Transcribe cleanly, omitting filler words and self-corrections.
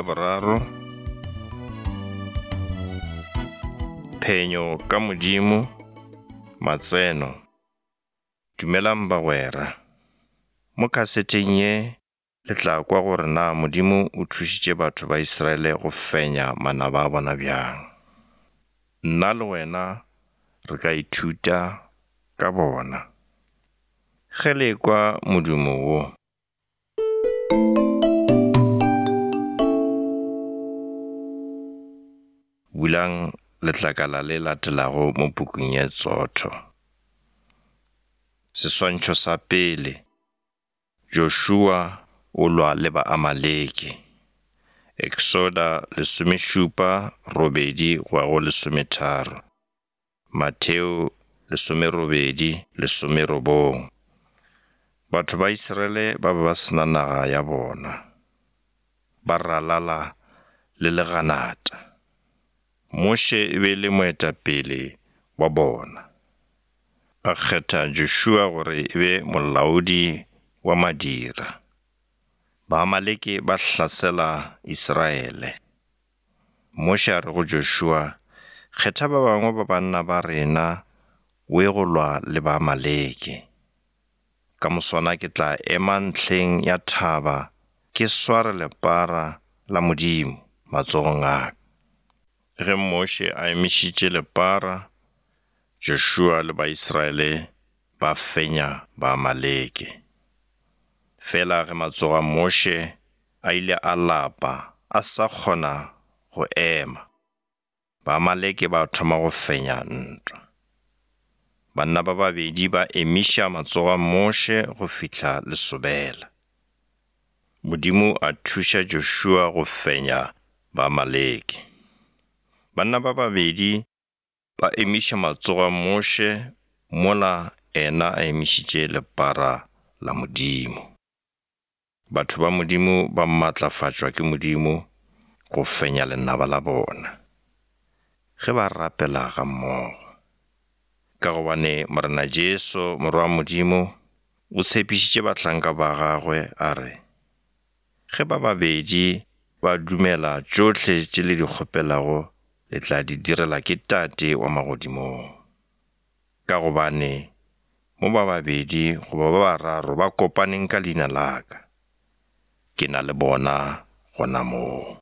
ya boraro, Phenyo ka Modimo, Matseno. Dumelang bagwera. Mo khaseteng ye le tla kwa gore na Modimo o thušitše batho ba Israele go fenya manaba a bona bjang. Nna le wena re ka ithuta ka bona. Ge le ekwa modumo wo, Bulang letlakala le latelago mo pukung ye tsotho. Seswantšho sa pele, Joshua o lwa le Baamaleke. Eksoda lesomešupa robedi go ya go lesometharo. Mateo lesomerobedi lesomerobong. Batho ba Israele ba be ba se na naga ya bona, ba ralala le leganata. Moshe e be e le moetapele wa bona. A kgetha Joshua gore e be molaodi wa madira. Baamaleke ba hlasela Israele. Moshe a re go Joshua, Kgetha ba bangwe ba banna ba rena o ye go lwa le Baamaleke. Ka moswana ke tla ema ntlheng ya thaba ke sware lepara la Modimo matsogong a ka. Ge Moshe a emišitše lepara, Joshua le Baisraele ba fenya Baamaleke. Fela ge matsogo a Moshe a ile a lapa a sa kgona go ema. Baamaleke ba thoma go fenya ntwa. Banna ba babedi ba emiša matsogo a Moshe go fihla lesobela. Modimo a thuša Joshua go fenya Baamaleke. Banna ba babedi ba emiša matsogo a Moshe mola ena a emišitše lepara la Modimo. Batho ba Modimo ba matlafatšwa ke Modimo go fenya lenaba la bona, ge ba rapela gammogo. Ka gobane Morena Jesu, Morwa wa Modimo, o tshepišitše bahlanka ba gagwe a re, Ge ba babedi ba dumela tšohle tše le di kgopelago le tla di direla ke Tate wa magodimong. Ka gobane mo ba babedi goba ba bararo ba kopaneng ka leina la ka, ke na le bona gona moo.